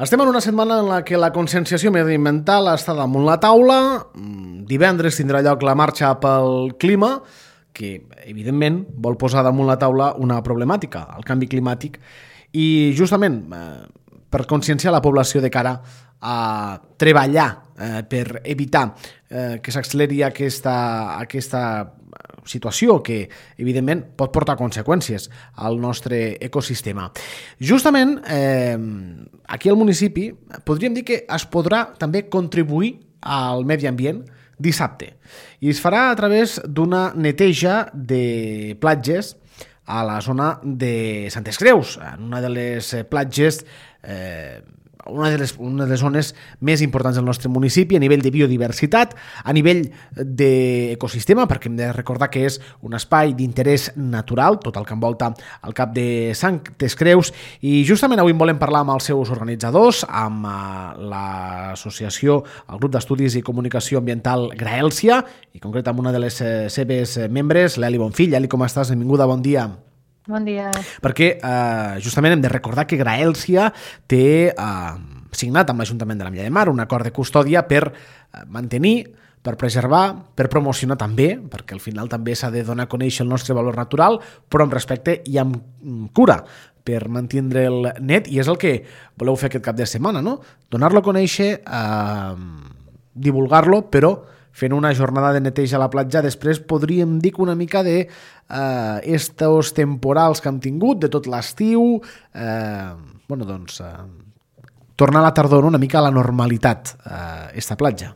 Estem en una setmana en la que la conscienciació mediambiental està damunt la taula. Divendres tindrà lloc la marxa pel clima, que evidentment vol posar damunt la taula una problemàtica, el canvi climàtic, i justament per conscienciar la població de cara a treballar per evitar que s'acceleri aquesta situació que, evidentment, pot portar conseqüències al nostre ecosistema. Justament, aquí al municipi podríem dir que es podrà també contribuir al medi ambient dissabte. I es farà a través d'una neteja de platges a la zona de Santes Creus, en una de les platges una de les zones més importants del nostre municipi a nivell de biodiversitat, a nivell d'ecosistema, perquè hem de recordar que és un espai d'interès natural, tot el que envolta el cap de Santes Creus, i justament avui en volem parlar amb els seus organitzadors, amb l'associació, el grup d'estudis i comunicació ambiental Graèlcia, i concret amb una de les seves membres, l'Eli Bonfill. Eli, com estàs? Benvinguda, bon dia. Bon dia. Perquè justament hem de recordar que Graèlcia té signat amb l'Ajuntament de l'Ametlla de Mar un acord de custòdia per mantenir, per preservar, per promocionar també, perquè al final també s'ha de donar a conèixer el nostre valor natural, però amb respecte i amb cura, per mantindre'l net, i és el que voleu fer aquest cap de setmana, no? Donar-lo a conèixer, divulgar-lo, però fent una jornada de neteja a la platja. Després podríem dir que una mica de estos temporals que hem tingut, de tot l'estiu, tornar a la tardor una mica a la normalitat, esta platja.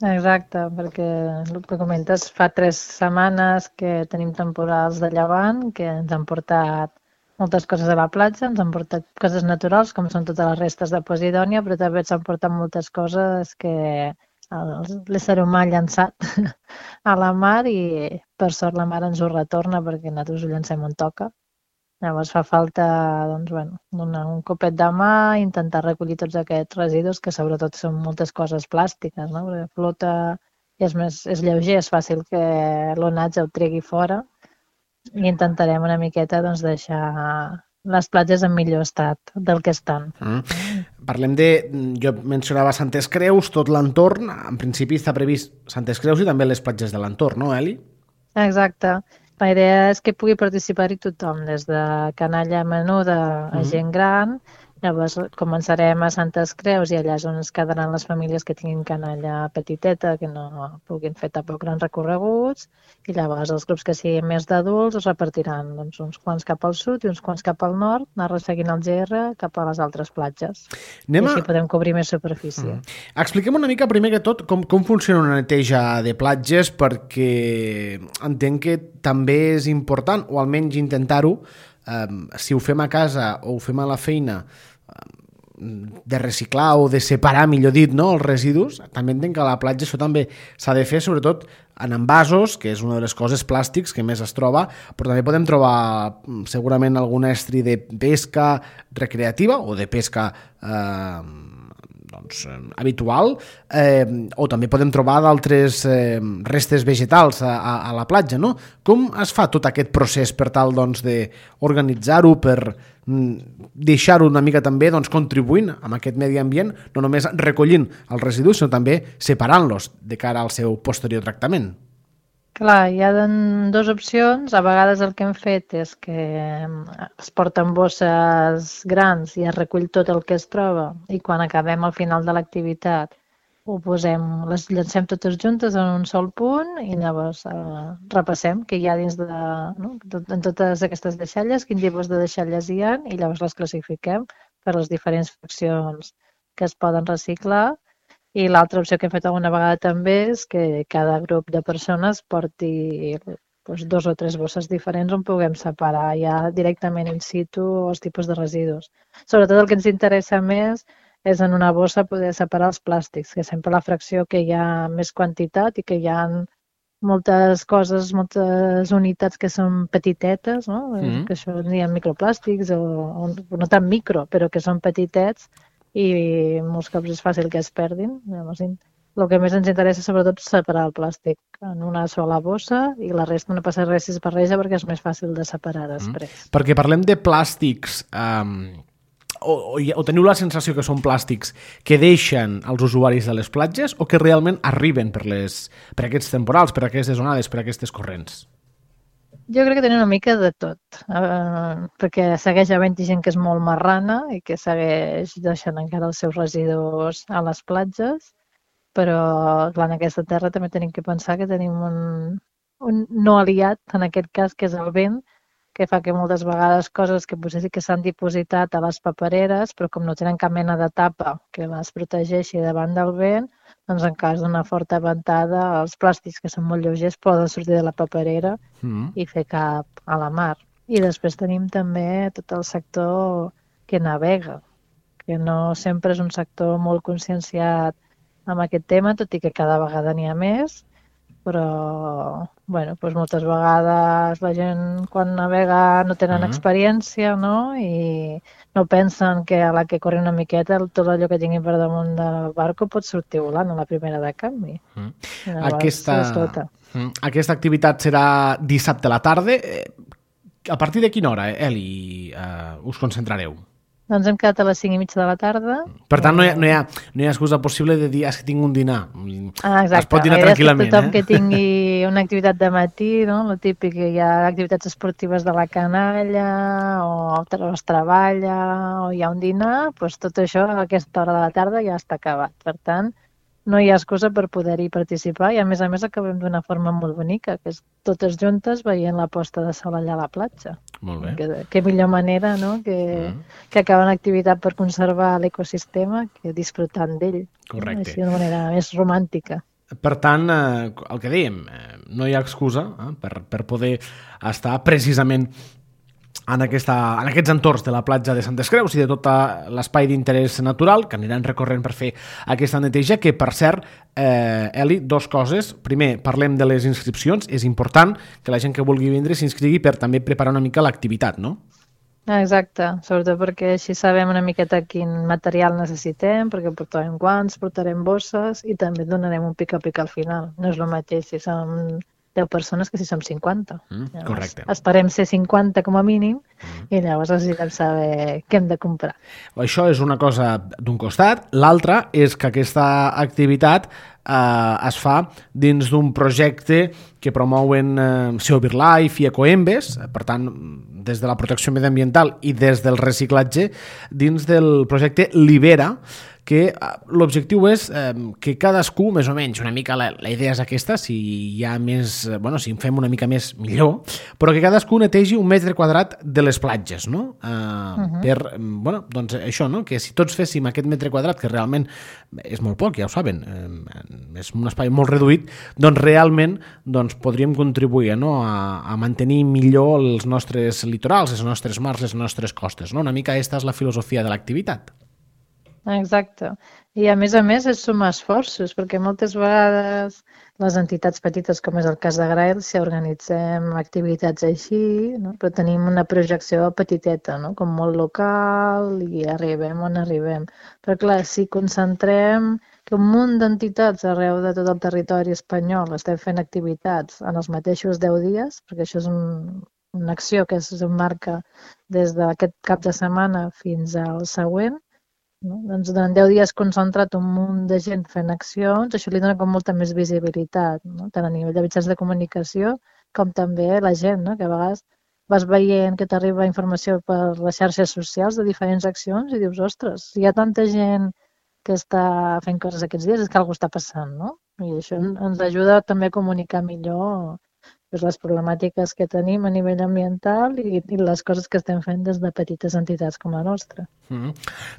Exacte, perquè el que comentes, fa 3 setmanes que tenim temporals de llevant, que ens han portat moltes coses a la platja, ens han portat coses naturals, com són totes les restes de Posidònia, però també ens han portat moltes coses que l'ésser humà ha llançat a la mar, i per sort la mar ens ho retorna perquè nosaltres ho llancem on toca. Llavors fa falta donar un copet de mà, intentar recollir tots aquests residus, que sobretot són moltes coses plàstiques, no? Perquè flota i és lleuger, és fàcil que l'onatge ho tregui fora, i intentarem una miqueta deixar les platges en millor estat del que estan. Parlem jo mencionava Santes Creus, tot l'entorn, en principi està previst Santes Creus i també les platges de l'entorn, no, Eli? Exacte. La idea és que pugui participar-hi tothom, des de canalla menuda a gent gran. Llavors començarem a Santes Creus, i allà és on es quedaran les famílies que tinguin canalla petiteta, que no puguin fer tampoc grans recorreguts, i llavors els grups que siguin més d'adults es repartiran uns quants cap al sud i uns quants cap al nord, anar resseguint el GR cap a les altres platges. I així podem cobrir més superfície. Expliquem una mica, primer que tot, com funciona una neteja de platges, perquè entenc que també és important, o almenys intentar-ho, si ho fem a casa o ho fem a la feina, de reciclar o de separar, millor dit, no, els residus. També entenc que a la platja això també s'ha de fer, sobretot en envasos, que és una de les coses plàstics que més es troba, però també podem trobar segurament algun estri de pesca recreativa o de pesca habitual, o també podem trobar d'altres restes vegetals a la platja, no? Com es fa tot aquest procés per tal d'organitzar-ho, per deixar-ho una mica també contribuint amb aquest medi ambient, no només recollint els residus, sinó també separant-los de cara al seu posterior tractament? Clar, hi ha 2 opcions. A vegades el que hem fet és que es porten bosses grans i es recull tot el que es troba, i quan acabem al final de l'activitat les llancem totes juntes en un sol punt, i llavors repassem què hi ha dins en totes aquestes deixalles, quin tipus de deixalles hi ha, i llavors les classifiquem per les diferents fraccions que es poden reciclar. I l'altra opció que hem fet alguna vegada també és que cada grup de persones porti 2 o 3 bosses diferents on puguem separar ja directament in situ els tipus de residus. Sobretot el que ens interessa més és en una bossa poder separar els plàstics, que sempre la fracció que hi ha més quantitat i que hi ha moltes coses, moltes unitats que són petitetes, no? Que això n'hi ha microplàstics, o no tan micro, però que són petitets, i molts cops és fàcil que es perdin. Llavors, el que més ens interessa sobretot és separar el plàstic en una sola bossa, i la resta no passa res si es barreja, perquè és més fàcil de separar després. Perquè parlem de plàstics o teniu la sensació que són plàstics que deixen els usuaris de les platges o que realment arriben per aquests temporals, per aquestes onades, per aquestes corrents? Jo crec que tenen una mica de tot, perquè segueix havent gent que és molt marrana i que segueix deixant encara els seus residus a les platges, però clar, en aquesta terra també tenim que pensar que tenim un no aliat, en aquest cas, que és el vent, que fa que moltes vegades coses que potser sí que s'han dipositat a les papereres, però com no tenen cap mena de tapa que les protegeixi davant del vent, doncs en cas d'una forta ventada, els plàstics que són molt lleugers poden sortir de la paperera i fer cap a la mar. I després tenim també tot el sector que navega, que no sempre és un sector molt conscienciat amb aquest tema, tot i que cada vegada n'hi ha més, però bueno, doncs moltes vegades la gent quan navega no tenen experiència, no? I no pensen que a la que corri una miqueta tot allò que tinguin per damunt del barco pot sortir volant a la primera de canvi. Aquesta activitat serà dissabte a la tarda. A partir de quina hora, Eli, us concentrareu? Doncs hem quedat a les 5:30 de la tarda. Per tant, no hi ha excusa possible de dir que tinc un dinar. Exacte. Es pot dinar tranquil·lament. Tothom que tingui una activitat de matí, no? El típic que hi ha activitats esportives de la canalla o es treballa o hi ha un dinar, doncs tot això a aquesta hora de la tarda ja està acabat. Per tant, no hi ha excusa per poder-hi participar i a més acabem d'una forma molt bonica, que és totes juntes veient la posta de sol allà a la platja. Molt bé. Que millor manera, no? que acabar una activitat per conservar l'ecosistema que disfrutant d'ell. Correcte. Així d'una manera més romàntica. Per tant, el que dèiem, no hi ha excusa per poder estar precisament en aquests entorns de la platja de Santes Creus i de tot l'espai d'interès natural que aniran recorrent per fer aquesta neteja, que per cert, Eli, dues coses. Primer, parlem de les inscripcions. És important que la gent que vulgui vindre s'inscrigui per també preparar una mica l'activitat, no? Exacte, sobretot perquè així sabem una miqueta quin material necessitem, perquè portarem guants, portarem bosses i també donarem un pica-pica al final. No és el mateix si som 10 persones que si som 50. Correcte. Esperem ser 50 com a mínim i llavors necessitem saber què hem de comprar. Això és una cosa d'un costat. L'altra és que aquesta activitat es fa dins d'un projecte que promouen SEO BirdLife i Ecoembes, per tant, des de la protecció mediambiental i des del reciclatge, dins del projecte Libera, que l'objectiu és que cadascú, més o menys, una mica la idea és aquesta, si hi ha més, si en fem una mica més, millor, però que cadascú netegi 1 metre quadrat de les platges, no? Doncs això, no? Que si tots féssim aquest metre quadrat, que realment és molt poc, ja ho saben, és un espai molt reduït, doncs realment podríem contribuir a mantenir millor els nostres litorals, les nostres mars, les nostres costes, no? Una mica aquesta és la filosofia de l'activitat. Exacte. I a més és sumar esforços, perquè moltes vegades les entitats petites, com és el cas de Grael, si organitzem activitats així, no? Però tenim una projecció petiteta, no? Com molt local i arribem on arribem. Però clar, si concentrem que un munt d'entitats arreu de tot el territori espanyol estem fent activitats en els mateixos 10 dies, perquè això és una acció que s'emmarca des d'aquest cap de setmana fins al següent, no? Doncs durant 10 dies concentrat un munt de gent fent accions, això li dona com molta més visibilitat, no? Tant a nivell de mitjans de comunicació com també la gent, no? Que a vegades vas veient que t'arriba informació per les xarxes socials de diferents accions i dius, ostres, si hi ha tanta gent que està fent coses aquests dies és que alguna cosa està passant, no? I això ens ajuda també a comunicar millor les problemàtiques que tenim a nivell ambiental i les coses que estem fent des de petites entitats com la nostra.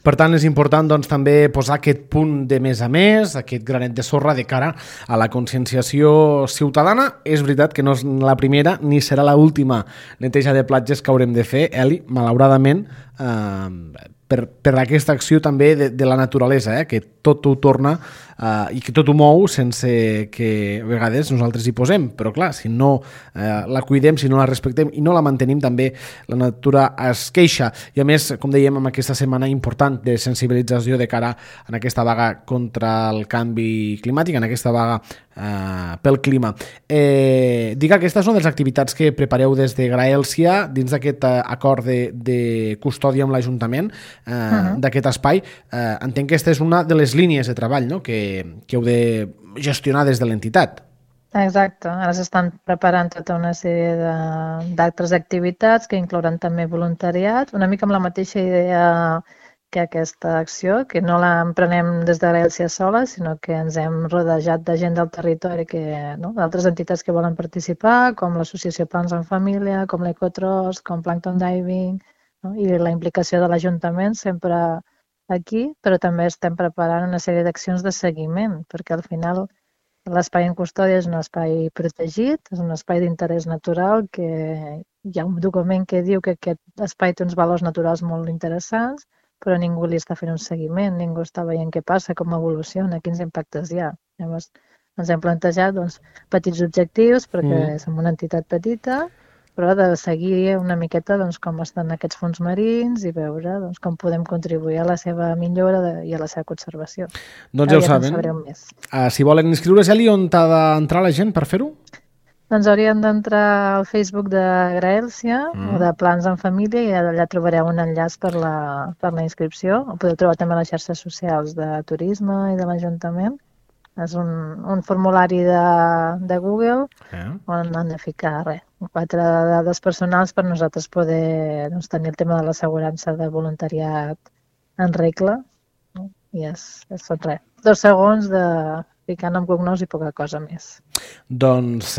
Per tant, és important també posar aquest punt de més a més, aquest granet de sorra de cara a la conscienciació ciutadana. És veritat que no és la primera ni serà l'última neteja de platges que haurem de fer, Eli, malauradament, per aquesta acció també de la naturalesa, que tot ho torna i que tot ho mou sense que a vegades nosaltres hi posem, però clar, si no la cuidem, si no la respectem i no la mantenim, també la natura es queixa. I a més, com dèiem, amb aquesta setmana important de sensibilització de cara en aquesta vaga contra el canvi climàtic, en aquesta vaga pel clima. Dic que aquesta és una de les activitats que prepareu des de Graèlcia dins d'aquest acord de custòdia amb l'Ajuntament d'aquest espai. Entenc que aquesta és una de les línies de treball, no?, que heu de gestionar des de l'entitat. Exacte, ara s'estan preparant tota una sèrie d'altres activitats que inclouran també voluntariat, una mica amb la mateixa idea que aquesta acció, que no l'emprenem des de Graèlcia sola, sinó que ens hem rodejat de gent del territori, d'altres entitats que volen participar, com l'Associació Plans en Família, com l'Ecotros, com Plankton Diving, i la implicació de l'Ajuntament sempre aquí, però també estem preparant una sèrie d'accions de seguiment, perquè al final l'espai en custòdia és un espai protegit, és un espai d'interès natural que hi ha un document que diu que aquest espai té uns valors naturals molt interessants, però ningú li està fent un seguiment, ningú està veient què passa, com evoluciona, quins impactes hi ha. Llavors ens hem plantejat petits objectius, perquè som una entitat petita, però de seguir una miqueta com estan aquests fons marins i veure com podem contribuir a la seva millora i a la seva conservació. Doncs ja ho saben. Si volen inscriure's, Eli, on ha d'entrar la gent per fer-ho? Doncs haurien d'entrar al Facebook de Graèlcia o de Plans en Família i allà trobareu un enllaç per la inscripció. Ho podeu trobar també a les xarxes socials de turisme i de l'Ajuntament. És un formulari de Google on han de ficar 4 dades personals per nosaltres poder tenir el tema de l'assegurança de voluntariat en regla. I són 2 segons de ficar nom, cognoms i poca cosa més. Doncs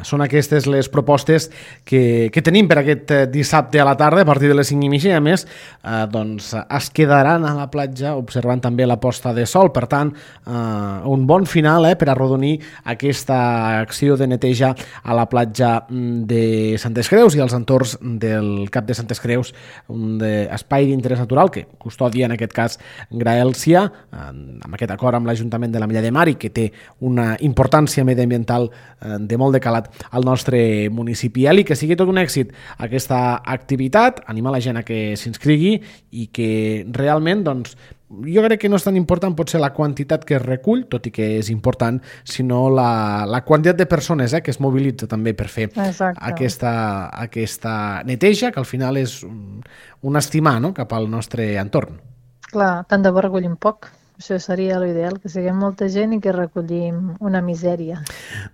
són aquestes les propostes que tenim per aquest dissabte a la tarda a partir de les 5:30 i a més es quedaran a la platja observant també la posta de sol, per tant un bon final per arrodonir aquesta acció de neteja a la platja de Santes Creus i als entorns del Cap de Santes Creus, un espai d'interès natural que custodia en aquest cas Graèlcia amb aquest acord amb l'Ajuntament de la Mella de Mar i que té una importància mediambiental de molt de calat al nostre municipi. Eli, que sigui tot un èxit aquesta activitat, animar la gent a que s'inscrigui i que realment, jo crec que no és tan important potser la quantitat que es recull, tot i que és important, sinó la quantitat de persones que es mobilitza també per fer aquesta neteja, que al final és un estimar cap al nostre entorn. Clar, tant de bo recollim poc. Això seria l'ideal, que siguem molta gent i que recollim una misèria.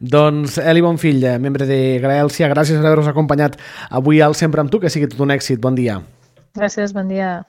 Doncs Eli Bonfill, membre de Graèlcia, gràcies per haver-nos acompanyat avui al Sempre amb tu, que sigui tot un èxit. Bon dia. Gràcies, bon dia.